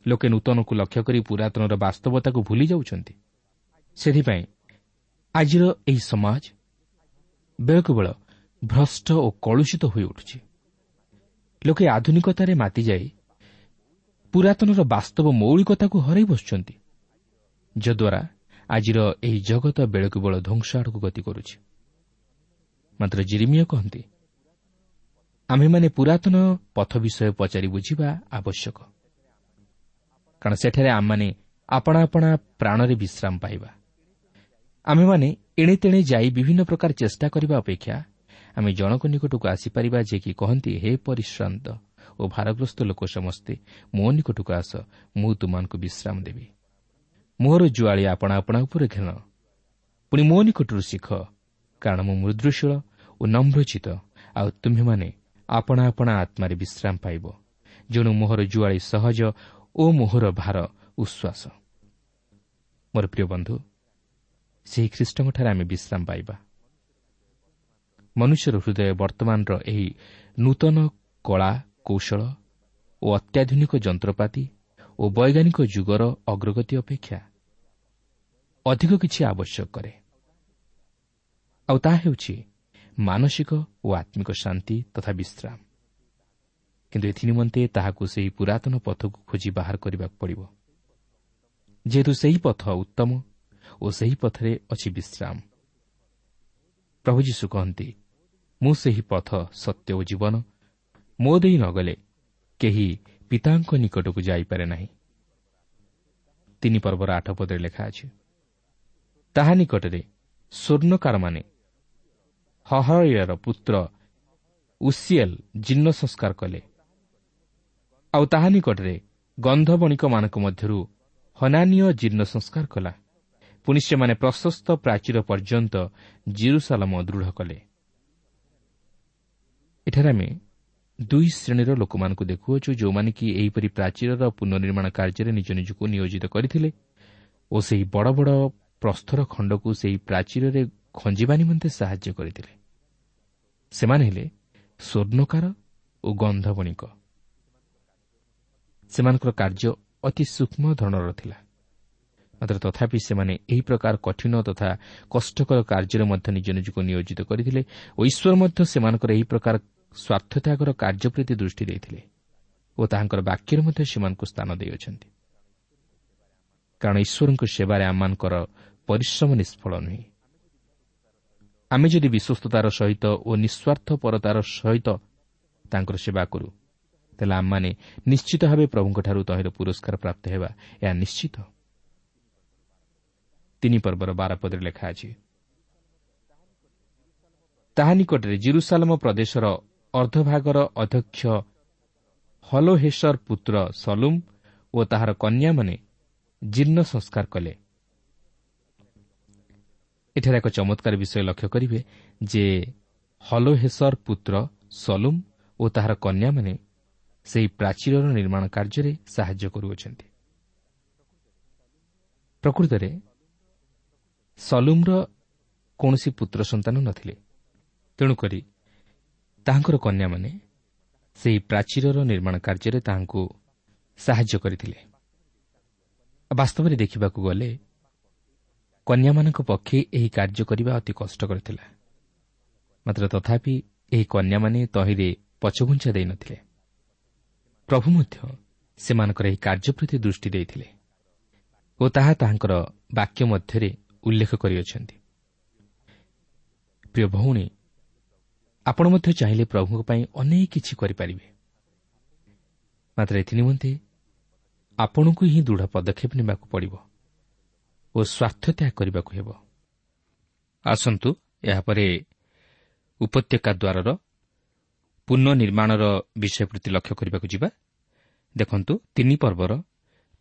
ଲୋକେ ନୂତନକୁ ଲକ୍ଷ୍ୟ କରି ପୁରାତନର ବାସ୍ତବତାକୁ ଭୁଲି ଯାଉଛନ୍ତି। ସେଥିପାଇଁ ଆଜିର ଏହି ସମାଜ ବେଳକୁ ବେଳ ଭ୍ରଷ୍ଟ ଓ କଳୁଷିତ ହୋଇଉଠୁଛି। ଲୋକେ ଆଧୁନିକତାରେ ମାତିଯାଇ ପୁରାତନର ବାସ୍ତବ ମୌଳିକତାକୁ ହରାଇ ବସୁଛନ୍ତି, ଯଦ୍ୱାରା ଆଜିର ଏହି ଜଗତ ବେଳକୁ ବେଳ ଧ୍ୱଂସ ଆଡ଼କୁ ଗତି କରୁଛି। ମାତ୍ର ଜିରିମିୟ କହନ୍ତି, ଆମ୍ଭେମାନେ ପୁରାତନ ପଥ ବିଷୟ ପଚାରି ବୁଝିବା ଆବଶ୍ୟକ, କାରଣ ସେଠାରେ ଆମମାନେ ଆପଣା ଆପଣା ପ୍ରାଣରେ ବିଶ୍ରାମ ପାଇବା। ଆମ୍ଭେମାନେ ଏଣେ ତେଣେ ଯାଇ ବିଭିନ୍ନ ପ୍ରକାର ଚେଷ୍ଟା କରିବା ଅପେକ୍ଷା ଆମେ ଜଣଙ୍କ ନିକଟକୁ ଆସିପାରିବା, ଯେ କି କହନ୍ତି, ହେ ପରିଶ୍ରାନ୍ତ ଓ ଭାରଗ୍ରସ୍ତ ଲୋକ ସମସ୍ତେ ମୋ ନିକଟକୁ ଆସ, ମୁଁ ତୁମମାନଙ୍କୁ ବିଶ୍ରାମ ଦେବି। ମୋର ଜୁଆଳି ଆପଣା ଆପଣା ଉପରେ ଘେନ, ପୁଣି ମୋ ନିକଟରୁ ଶିଖ, କାରଣ ମୁଁ ମୃଦୁଶୀଳ ଓ ନମ୍ରଚିତ, ଆଉ ତୁମ୍ଭେମାନେ ଆପଣା ଆପଣା ଆତ୍ମାରେ ବିଶ୍ରାମ ପାଇବ। ଯେଣୁ ମୋହର ଜୁଆଳି ସହଜ ଓ ମୋହର ଭାର ଉଶ୍ୱାସ। ମୋର ପ୍ରିୟ ବନ୍ଧୁ, ସେହି ଖ୍ରୀଷ୍ଟଙ୍କଠାରେ ଆମେ ବିଶ୍ରାମ ପାଇବା। ମନୁଷ୍ୟର ହୃଦୟ ବର୍ତ୍ତମାନର ଏହି ନୂତନ କଳା କୌଶଳ ଓ ଅତ୍ୟାଧୁନିକ ଯନ୍ତ୍ରପାତି ଓ ବୈଜ୍ଞାନିକ ଯୁଗର ଅଗ୍ରଗତି ଅପେକ୍ଷା ଅଧିକ କିଛି ଆବଶ୍ୟକ କରେ, ଆଉ ତାହା ହେଉଛି ମାନସିକ ଓ ଆତ୍ମିକ ଶାନ୍ତି ତଥା ବିଶ୍ରାମ। କିନ୍ତୁ ଏଥିନିମନ୍ତେ ତାହାକୁ ସେହି ପୁରାତନ ପଥକୁ ଖୋଜି ବାହାର କରିବାକୁ ପଡ଼ିବ, ଯେହେତୁ ସେହି ପଥ ଉତ୍ତମ ଓ ସେହି ପଥରେ ଅଛି ବିଶ୍ରାମ। ପ୍ରଭୁ ଯୀଶୁ କହନ୍ତି, ମୁଁ ସେହି ପଥ, ସତ୍ୟ ଓ ଜୀବନ, ମୋ ଦେଇ ନଗଲେ କେହି ପିତାଙ୍କ ନିକଟକୁ ଯାଇପାରେ ନାହିଁ। 3 ପର୍ବର 8 ପଦରେ ଲେଖା ଅଛି, ତାହା ନିକଟରେ ସ୍ୱର୍ଣ୍ଣକାରମାନେ ହହୟର ପୁତ୍ର ଉସିଏଲ ଜୀର୍ଣ୍ଣ ସଂସ୍କାର କଲେ, ଆଉ ତାହା ନିକଟରେ ଗନ୍ଧବଣିକମାନଙ୍କ ମଧ୍ୟରୁ ହନାନୀୟ ଜୀର୍ଣ୍ଣ ସଂସ୍କାର କଲା। ପୁଣି ସେମାନେ ପ୍ରଶସ୍ତ ପ୍ରାଚୀର ପର୍ଯ୍ୟନ୍ତ ଜିରୁସାଲମ ଦୃଢ଼ କଲେ। ଏଠାରେ ଆମେ ଦୁଇ ଶ୍ରେଣୀର ଲୋକମାନଙ୍କୁ ଦେଖୁଅଛୁ, ଯେଉଁମାନେ କି ଏହିପରି ପ୍ରାଚୀରର ପୁନର୍ନିର୍ମାଣ କାର୍ଯ୍ୟରେ ନିଜ ନିଜକୁ ନିୟୋଜିତ କରିଥିଲେ ଓ ସେହି ବଡ଼ ବଡ଼ ପ୍ରସ୍ତର ଖଣ୍ଡକୁ ସେହି ପ୍ରାଚୀରରେ ଖଞ୍ଜିବା ନିମନ୍ତେ ସାହାଯ୍ୟ କରିଥିଲେ। ସେମାନେ ହେଲେ ସ୍ୱର୍ଣ୍ଣକାର ଓ ଗନ୍ଧବଣିକ। ସେମାନଙ୍କର କାର୍ଯ୍ୟ ଅତି ସୂକ୍ଷ୍ମ ଧରଣର ଥିଲା, ମାତ୍ର ତଥାପି ସେମାନେ ଏହି ପ୍ରକାର କଠିନ ତଥା କଷ୍ଟକର କାର୍ଯ୍ୟରେ ମଧ୍ୟ ନିଜ ନିଜକୁ ନିୟୋଜିତ କରିଥିଲେ ଓ ଈଶ୍ୱର ମଧ୍ୟ ସେମାନଙ୍କର ଏହି ପ୍ରକାର ସ୍ୱାର୍ଥତ୍ୟାଗର କାର୍ଯ୍ୟ ପ୍ରତି ଦୃଷ୍ଟି ଦେଇଥିଲେ ଓ ତାହାଙ୍କର ବାକ୍ୟରେ ମଧ୍ୟ ସେମାନଙ୍କୁ ସ୍ଥାନ ଦେଇଅଛନ୍ତି। କାରଣ ଈଶ୍ୱରଙ୍କ ସେବାରେ ଆମମାନଙ୍କର ପରିଶ୍ରମ ନିଷ୍ଫଳ ନୁହେଁ। ଆମେ ଯଦି ବିଶ୍ୱସ୍ତତାର ସହିତ ଓ ନିଃସ୍ୱାର୍ଥପରତାର ସହିତ ତାଙ୍କର ସେବା କରୁ, ତାହେଲେ ଆମମାନେ ନିଶ୍ଚିତ ଭାବେ ପ୍ରଭୁଙ୍କଠାରୁ ତହିଁର ପୁରସ୍କାର ପ୍ରାପ୍ତ ହେବା, ଏହା ନିଶ୍ଚିତ। 3 ପର୍ବର 12 ପଦରେ ଲେଖା ଅଛି, ତାହା ନିକଟରେ ଜିରୁସାଲମ ପ୍ରଦେଶର ଅର୍ଦ୍ଧଭାଗର ଅଧ୍ୟକ୍ଷ ହଲୋହେଶର ପୁତ୍ର ସଲୁମ ଓ ତାହାର କନ୍ୟାମାନେ ଜୀର୍ଣ୍ଣ ସଂସ୍କାର କଲେ। ଏଠାରେ ଏକ ଚମତ୍କାର ବିଷୟ ଲକ୍ଷ୍ୟ କରିବେ ଯେ ହଲୋହେଶର ପୁତ୍ର ସଲୁମ ଓ ତାହାର କନ୍ୟାମାନେ ସେହି ପ୍ରାଚୀରର ନିର୍ମାଣ କାର୍ଯ୍ୟରେ ସାହାଯ୍ୟ କରୁଅଛନ୍ତି। ପ୍ରକୃତରେ ସଲୁମର କୌଣସି ପୁତ୍ର ସନ୍ତାନ ନଥିଲେ, ତେଣୁକରି ତାହାଙ୍କର କନ୍ୟାମାନେ ସେହି ପ୍ରାଚୀରର ନିର୍ମାଣ କାର୍ଯ୍ୟରେ ତାହାଙ୍କୁ ସାହାଯ୍ୟ କରିଥିଲେ। ବାସ୍ତବରେ ଦେଖିବାକୁ ଗଲେ କନ୍ୟାମାନଙ୍କ ପକ୍ଷେ ଏହି କାର୍ଯ୍ୟ କରିବା ଅତି କଷ୍ଟକର ଥିଲା, ମାତ୍ର ତଥାପି ଏହି କନ୍ୟାମାନେ ତହିଁରେ ପଛଘୁଞ୍ଚା ଦେଇନଥିଲେ। ପ୍ରଭୁ ମଧ୍ୟ ସେମାନଙ୍କର ଏହି କାର୍ଯ୍ୟ ପ୍ରତି ଦୃଷ୍ଟି ଦେଇଥିଲେ ଓ ତାହା ତାହାଙ୍କର ବାକ୍ୟ ମଧ୍ୟରେ ଉଲ୍ଲେଖ କରିଅଛନ୍ତି। ପ୍ରିୟ ଭଉଣୀ, ଆପଣ ମଧ୍ୟ ଚାହିଁଲେ ପ୍ରଭୁଙ୍କ ପାଇଁ ଅନେକ କିଛି କରିପାରିବେ, ମାତ୍ର ଏଥିନିମନ୍ତେ ଆପଣଙ୍କୁ ହିଁ ଦୃଢ଼ ପଦକ୍ଷେପ ନେବାକୁ ପଡ଼ିବ ଓ ସ୍ୱାର୍ଥ ତ୍ୟାଗ କରିବାକୁ ହେବ। ଆସନ୍ତୁ ଏହାପରେ ଉପତ୍ୟକା ଦ୍ୱାରର ପୁନଃନିର୍ମାଣର ବିଷୟ ପ୍ରତି ଲକ୍ଷ୍ୟ କରିବାକୁ ଯିବା। ଦେଖନ୍ତୁ 3 ପର୍ବର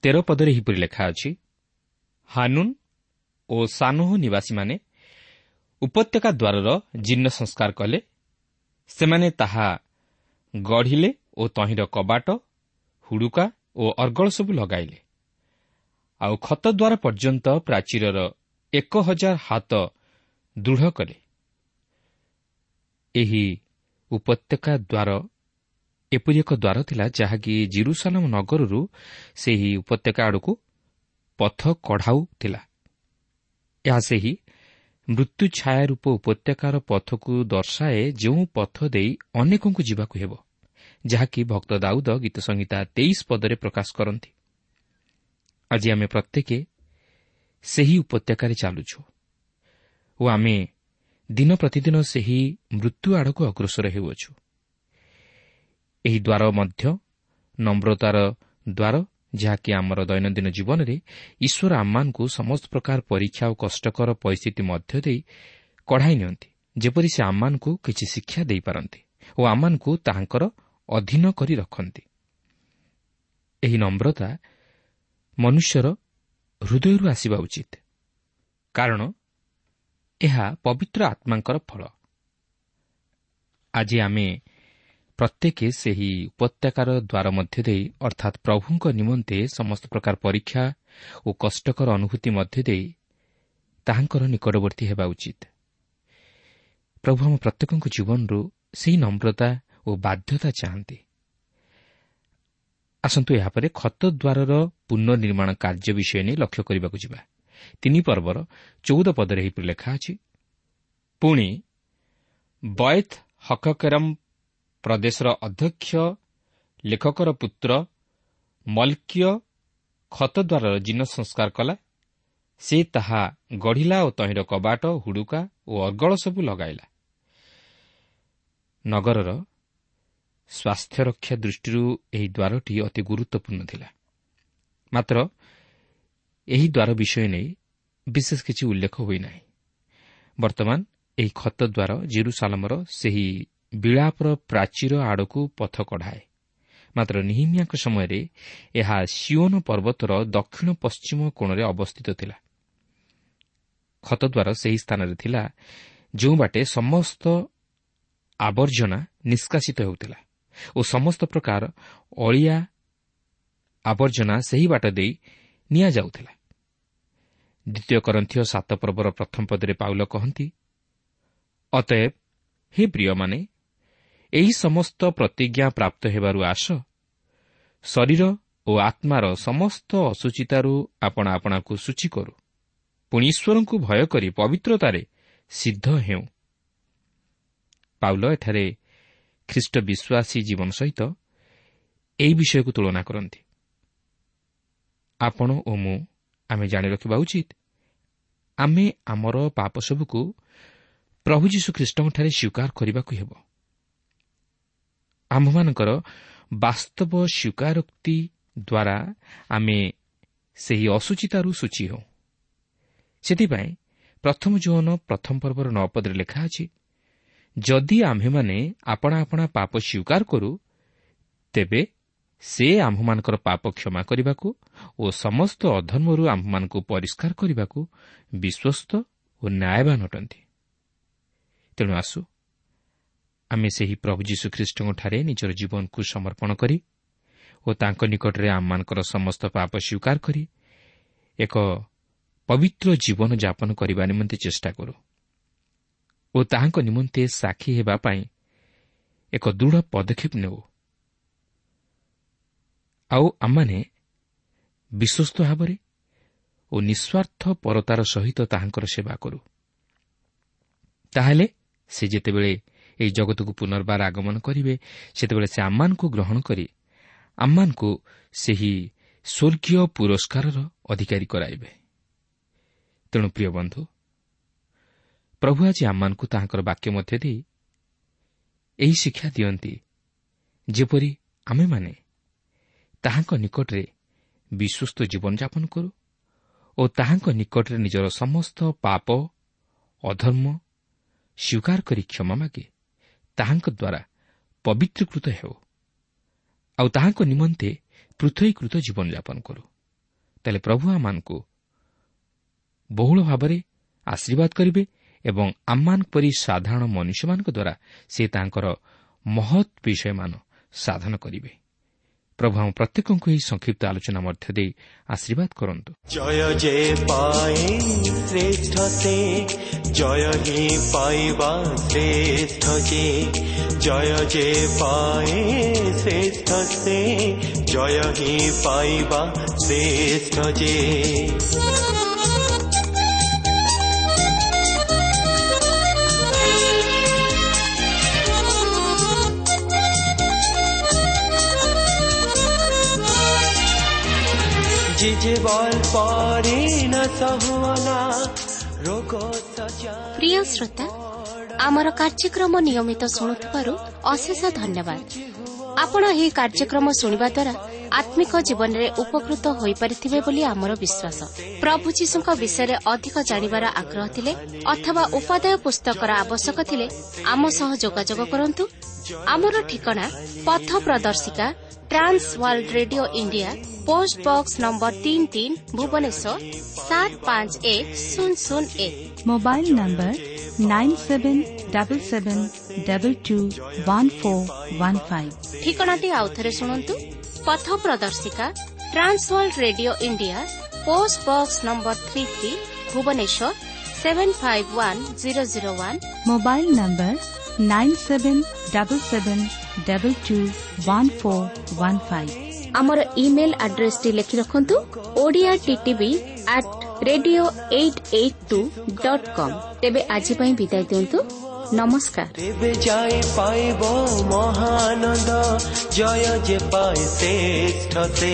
13 ପଦରେ ଏହିପରି ଲେଖା ଅଛି, ହାନୁନ ଓ ସାନୋହ ନିବାସୀମାନେ ଉପତ୍ୟକା ଦ୍ୱାରର ଜୀର୍ଣ୍ଣ ସଂସ୍କାର କଲେ। ସେମାନେ ତାହା ଗଢ଼ିଲେ ଓ ତହିଁର କବାଟ, ହୁଡ଼ୁକା ଓ ଅର୍ଗଳ ସବୁ ଲଗାଇଲେ। ଆଉ ଖତଦ୍ୱାର ପର୍ଯ୍ୟନ୍ତ ପ୍ରାଚୀରର 1000 ହାତ ଦୃଢ଼ କଲେ। ଏହି ଉପତ୍ୟକା ଦ୍ୱାର ଏପରି ଏକ ଦ୍ୱାର ଥିଲା ଯାହାକି ଜିରୁସାଲମ ନଗରରୁ ସେହି ଉପତ୍ୟକା ଆଡ଼କୁ ପଥ କଢ଼ାଉଥିଲା। ଏହା ସେହି ମୃତ୍ୟୁ ଛାୟା ରୂପ ଉପତ୍ୟକାର ପଥକୁ ଦର୍ଶାଏ, ଯେଉଁ ପଥ ଦେଇ ଅନେକଙ୍କୁ ଯିବାକୁ ହେବ, ଯାହାକି ଭକ୍ତ ଦାଉଦ ଗୀତସଂହିତା 23 ପଦରେ ପ୍ରକାଶ କରନ୍ତି। ଆଜି ଆମେ ପ୍ରତ୍ୟେକ ସେହି ଉପତ୍ୟକାରେ ଚାଲୁଛୁ ଓ ଆମେ ଦିନ ପ୍ରତିଦିନ ସେହି ମୃତ୍ୟୁ ଆଡ଼କୁ ଅଗ୍ରସର ହେଉଅଛୁ। ଏହି ଦ୍ୱାର ମଧ୍ୟ ନମ୍ରତାର ଦ୍ୱାର, ଯାହାକି ଆମର ଦୈନନ୍ଦିନ ଜୀବନରେ ଈଶ୍ୱର ଆମମାନଙ୍କୁ ସମସ୍ତ ପ୍ରକାର ପରୀକ୍ଷା ଓ କଷ୍ଟକର ପରିସ୍ଥିତି ମଧ୍ୟ ଦେଇ କଢ଼ାଇ ନିଅନ୍ତି, ଯେପରି ସେ ଆମମାନଙ୍କୁ କିଛି ଶିକ୍ଷା ଦେଇପାରନ୍ତି ଓ ଆମମାନଙ୍କୁ ତାହାଙ୍କର ଅଧୀନ କରି ରଖନ୍ତି। ଏହି ନମ୍ରତା ମନୁଷ୍ୟର ହୃଦୟରୁ ଆସିବା ଉଚିତ, କାରଣ ଏହା ପବିତ୍ର ଆତ୍ମାଙ୍କର ଫଳ। ଆଜି ଆମେ ପ୍ରତ୍ୟେକ ସେହି ଉପତ୍ୟକାର ଦ୍ୱାର ମଧ୍ୟ ଦେଇ, ଅର୍ଥାତ୍ ପ୍ରଭୁଙ୍କ ନିମନ୍ତେ ସମସ୍ତ ପ୍ରକାର ପରୀକ୍ଷା ଓ କଷ୍ଟକର ଅନୁଭୂତି ମଧ୍ୟ ଦେଇ ତାହାଙ୍କର ନିକଟବର୍ତ୍ତୀ ହେବା ଉଚିତ। ପ୍ରଭୁ ଆମ ପ୍ରତ୍ୟେକଙ୍କ ଜୀବନରୁ ସେହି ନମ୍ରତା ଓ ବାଧ୍ୟତା ଚାହାନ୍ତି। ଆସନ୍ତୁ ଏହାପରେ ଖତ ଦ୍ୱାରର ପୁନଃନିର୍ମାଣ କାର୍ଯ୍ୟ ବିଷୟ ନେଇ ଲକ୍ଷ୍ୟ କରିବାକୁ ଯିବା। 3 ପର୍ବର 14 ପଦରେ ଏହିପରି ଲେଖା ଅଛି, ପୁଣି ବୈଥ ହକକେରମ୍ ପ୍ରଦେଶର ଅଧ୍ୟକ୍ଷ ଲେଖକର ପୁତ୍ର ମଲ୍କିୟ ଖତଦ୍ୱାରର ଜୀର୍ଣ୍ଣ ସଂସ୍କାର କଲା। ସେ ତାହା ଗଢ଼ିଲା ଓ ତହିଁର କବାଟ, ହୁଡ଼ୁକା ଓ ଅର୍ଗଳ ସବୁ ଲଗାଇଲା। ନଗରର ସ୍ୱାସ୍ଥ୍ୟରକ୍ଷା ଦୃଷ୍ଟିରୁ ଏହି ଦ୍ୱାରଟି ଅତି ଗୁରୁତ୍ୱପୂର୍ଣ୍ଣ ଥିଲା, ମାତ୍ର ଏହି ଦ୍ୱାର ବିଷୟ ନେଇ ବିଶେଷ କିଛି ଉଲ୍ଲେଖ ହୋଇନାହିଁ। ବର୍ତ୍ତମାନ ଏହି ଖତଦ୍ୱାର ଜେରୁସାଲମର ସେହି ବିଳାପର ପ୍ରାଚୀର ଆଡ଼କୁ ପଥ କଢ଼ାଏ, ମାତ୍ର ନିହିମିୟାଙ୍କ ସମୟରେ ଏହା ସିଓନ ପର୍ବତର ଦକ୍ଷିଣ ପଶ୍ଚିମ କୋଣରେ ଅବସ୍ଥିତ ଥିଲା। ଖତଦ୍ୱାର ସେହି ସ୍ଥାନରେ ଥିଲା ଯେଉଁ ବାଟେ ସମସ୍ତ ଆବର୍ଜନା ନିଷ୍କାସିତ ହେଉଥିଲା ଓ ସମସ୍ତ ପ୍ରକାର ଅଳିଆ ଆବର୍ଜନା ସେହି ବାଟ ଦେଇ ନିଆଯାଉଥିଲା। ଦ୍ୱିତୀୟ କରନ୍ଥୀୟ 7 ପର୍ବର 1 ପଦରେ ପାଉଲ କହନ୍ତି, ଅତଏବ ହେ ପ୍ରିୟମାନେ, ଏହି ସମସ୍ତ ପ୍ରତିଜ୍ଞା ପ୍ରାପ୍ତ ହେବାରୁ ଆସ, ଶରୀର ଓ ଆତ୍ମାର ସମସ୍ତ ଅଶୁଚିତାରୁ ଆପଣା ଆପଣାକୁ ଶୁଚି କରୁ, ପୁଣି ଈଶ୍ୱରଙ୍କୁ ଭୟ କରି ପବିତ୍ରତାରେ ସିଦ୍ଧ ହେଉ। ପାଉଲ ଏଠାରେ ଖ୍ରୀଷ୍ଟ ବିଶ୍ୱାସୀ ଜୀବନ ସହିତ ଏହି ବିଷୟକୁ ତୁଳନା କରନ୍ତି। ଆପଣ ଓ ମୁଁ ଆମେ ଜାଣି ରଖିବା ଉଚିତ, ଆମେ ଆମର ପାପ ସବୁକୁ ପ୍ରଭୁ ଯୀଶୁଖ୍ରୀଷ୍ଟଙ୍କଠାରେ ସ୍ୱୀକାର କରିବାକୁ ହେବ। ଆମ୍ଭମାନଙ୍କର ବାସ୍ତବ ସ୍ୱୀକାରୋକ୍ତି ଦ୍ୱାରା ଆମେ ସେହି ଅଶୁଚିତାରୁ ସୂଚୀ ହେଉ। ସେଥିପାଇଁ ପ୍ରଥମ ଯୋହନ ପ୍ରଥମ ପର୍ବର 9 ପଦରେ ଲେଖା ଅଛି, ଯଦି ଆମ୍ଭେମାନେ ଆପଣା ଆପଣା ପାପ ସ୍ୱୀକାର କରୁ, ତେବେ ସେ ଆମ୍ଭମାନଙ୍କର ପାପ କ୍ଷମା କରିବାକୁ ଓ ସମସ୍ତ ଅଧର୍ମରୁ ଆମ୍ଭମାନଙ୍କୁ ପରିଷ୍କାର କରିବାକୁ ବିଶ୍ୱସ୍ତ ଓ ନ୍ୟାୟବାନ ଅଟନ୍ତି। ତେଣୁ ଆସୁ ଆମେ ସେହି ପ୍ରଭୁ ଯୀଶୁଖ୍ରୀଷ୍ଟଙ୍କଠାରେ ନିଜର ଜୀବନକୁ ସମର୍ପଣ କରି ଓ ତାଙ୍କ ନିକଟରେ ଆମମାନଙ୍କର ସମସ୍ତ ପାପ ସ୍ୱୀକାର କରି ଏକ ପବିତ୍ର ଜୀବନ ଯାପନ କରିବା ନିମନ୍ତେ ଚେଷ୍ଟା କରୁ ଓ ତାହାଙ୍କ ନିମନ୍ତେ ସାକ୍ଷୀ ହେବା ପାଇଁ ଏକ ଦୃଢ଼ ପଦକ୍ଷେପ ନେଉ। ଆଉ ଆମମାନେ ବିଶ୍ୱସ୍ତ ଭାବରେ ଓ ନିଃସ୍ୱାର୍ଥ ପରତାର ସହିତ ତାହାଙ୍କର ସେବା କରୁ। ତାହେଲେ ସେ ଯେତେବେଳେ ଏହି ଜଗତକୁ ପୁନର୍ବାର ଆଗମନ କରିବେ, ସେତେବେଳେ ସେ ଆମମାନଙ୍କୁ ଗ୍ରହଣ କରି ଆମମାନଙ୍କୁ ସେହି ସ୍ୱର୍ଗୀୟ ପୁରସ୍କାରର ଅଧିକାରୀ କରାଇବେ। ତେଣୁ ପ୍ରିୟ ବନ୍ଧୁ, ପ୍ରଭୁ ଆଜି ଆମମାନଙ୍କୁ ତାହାଙ୍କର ବାକ୍ୟ ମଧ୍ୟ ଦେଇ ଏହି ଶିକ୍ଷା ଦିଅନ୍ତି, ଯେପରି ଆମେମାନେ ତାହାଙ୍କ ନିକଟରେ ବିଶ୍ୱସ୍ତ ଜୀବନଯାପନ କରୁ ଓ ତାହାଙ୍କ ନିକଟରେ ନିଜର ସମସ୍ତ ପାପ ଅଧର୍ମ ସ୍ୱୀକାର କରି କ୍ଷମା ମାଗି ତାହାଙ୍କ ଦ୍ୱାରା ପବିତ୍ରୀକୃତ ହେଉ ଆଉ ତାହାଙ୍କ ନିମନ୍ତେ ପୃଥକୀକୃତ ଜୀବନଯାପନ କରୁ। ତାହେଲେ ପ୍ରଭୁ ଆମମାନଙ୍କୁ ବହୁଳ ଭାବରେ ଆଶୀର୍ବାଦ କରିବେ ଏବଂ ଆମମାନଙ୍କ ପରି ସାଧାରଣ ମନୁଷ୍ୟମାନଙ୍କ ଦ୍ୱାରା ସେ ତାଙ୍କର ମହତ୍ ବିଷୟମାନ ସାଧନ କରିବେ। ପ୍ରଭୁ ଆମ ପ୍ରତ୍ୟେକଙ୍କୁ ଏହି ସଂକ୍ଷିପ୍ତ ଆଲୋଚନା ମଧ୍ୟ ଦେଇ ଆଶୀର୍ବାଦ କରନ୍ତୁ। ଜୟ ଯେ ପାଏ ଶ୍ରେଷ୍ଠ ସେ, ଜୟ ହିଁ ପାଇବା ଶ୍ରେଷ୍ଠ ଯେ, ଜୟ ଯେ ପାଏ ଶ୍ରେଷ୍ଠ ସେ, ଜୟ ହିଁ ପାଇବା ଶ୍ରେଷ୍ଠ ଯେ। ପ୍ରିୟ ଶ୍ରୋତା, ଆମର କାର୍ଯ୍ୟକ୍ରମ ନିୟମିତ ଶୁଣୁଥିବାରୁ ଅଶେଷ ଧନ୍ୟବାଦ। ଆପଣ ଏହି କାର୍ଯ୍ୟକ୍ରମ ଶୁଣିବା ଦ୍ୱାରା ଆତ୍ମିକ ଜୀବନରେ ଉପକୃତ ହୋଇପାରିଥିବେ ବୋଲି ଆମର ବିଶ୍ୱାସ। ପ୍ରଭୁ ଯୀଶୁଙ୍କ ବିଷୟରେ ଅଧିକ ଜାଣିବାର ଆଗ୍ରହ ଥିଲେ ଅଥବା ଉପାଦେୟ ପୁସ୍ତକର ଆବଶ୍ୟକ ଥିଲେ ଆମ ସହ ଯୋଗାଯୋଗ କରନ୍ତୁ। ଆମର ଠିକଣା ପଥ ପ୍ରଦର୍ଶିକା, Trans World Radio India, post box number 33, Bhubaneswar 751001। Mobile number 9777221415। ଠିକଣାଟି ଆଉଥରେ ଶୁଣନ୍ତୁ। ପଥ ପ୍ରଦର୍ଶିକା, Trans World Radio India, post box number 33, Bhubaneswar 751001। Mobile number 9777221415। ଆମର ଇମେଲ୍ ଆଡ୍ରେସଟି ଲେଖି ରଖନ୍ତୁ, Odia TTV at radio 882.com। ତେବେ ଆଜି ପାଇଁ ବିଦାୟ ଦିଅନ୍ତୁ, ନମସ୍କାର। ତେବେ ଯାଇ ପାଇବ ମହାନନ୍ଦ, ଜୟ ଯେ ପାଏ ଶ୍ରେଷ୍ଠ ସେ,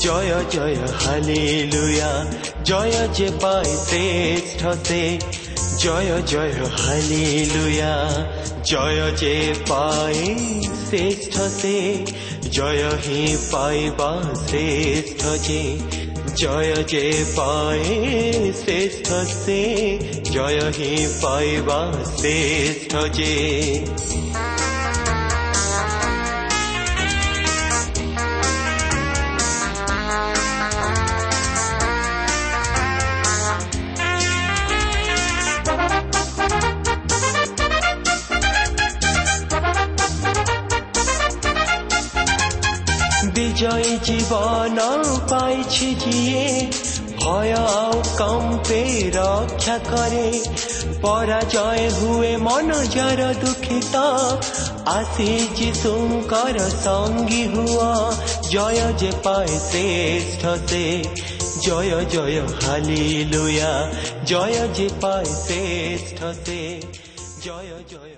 ଜୟ ଜୟ ହାଲେଲୁୟା, ଜୟ ଯେ ପାଏ ଶ୍ରେଷ୍ଠ ସେ, ଜୟ ଜୟ ହାଲେଲୁୟା, ଜୟ ଯେ ପାଏ ଶ୍ରେଷ୍ଠ ସେ, ଜୟ ହିଁ ପାଇବା ଶ୍ରେଷ୍ଠ ଯେ, ଜୟ ଯେ ପାଏ ଶ୍ରେଷ୍ଠ ସେ, ଜୟ ହିଁ ପାଇବା ଶ୍ରେଷ୍ଠ ଯେ। ବିଜୟୀ ଜୀବନ ପାଇଛି ଯିଏ, ଭୟ ଆଉ କମ୍ପେ ରକ୍ଷା କରେ, ପରାଜୟ ହୁଏ ମନ ଯାର ଦୁଃଖିତ, ଆସି ଯୀଶୁଙ୍କର ସଙ୍ଗୀ ହୁଅ, ଜୟ ଯେ ପାଏ ଶ୍ରେଷ୍ଠ ସେ, ଜୟ ଜୟ ହାଲେଲୁୟା, ଜୟ ଯେ ପାଏ ଶ୍ରେଷ୍ଠ ସେ, ଜୟ ଜୟ।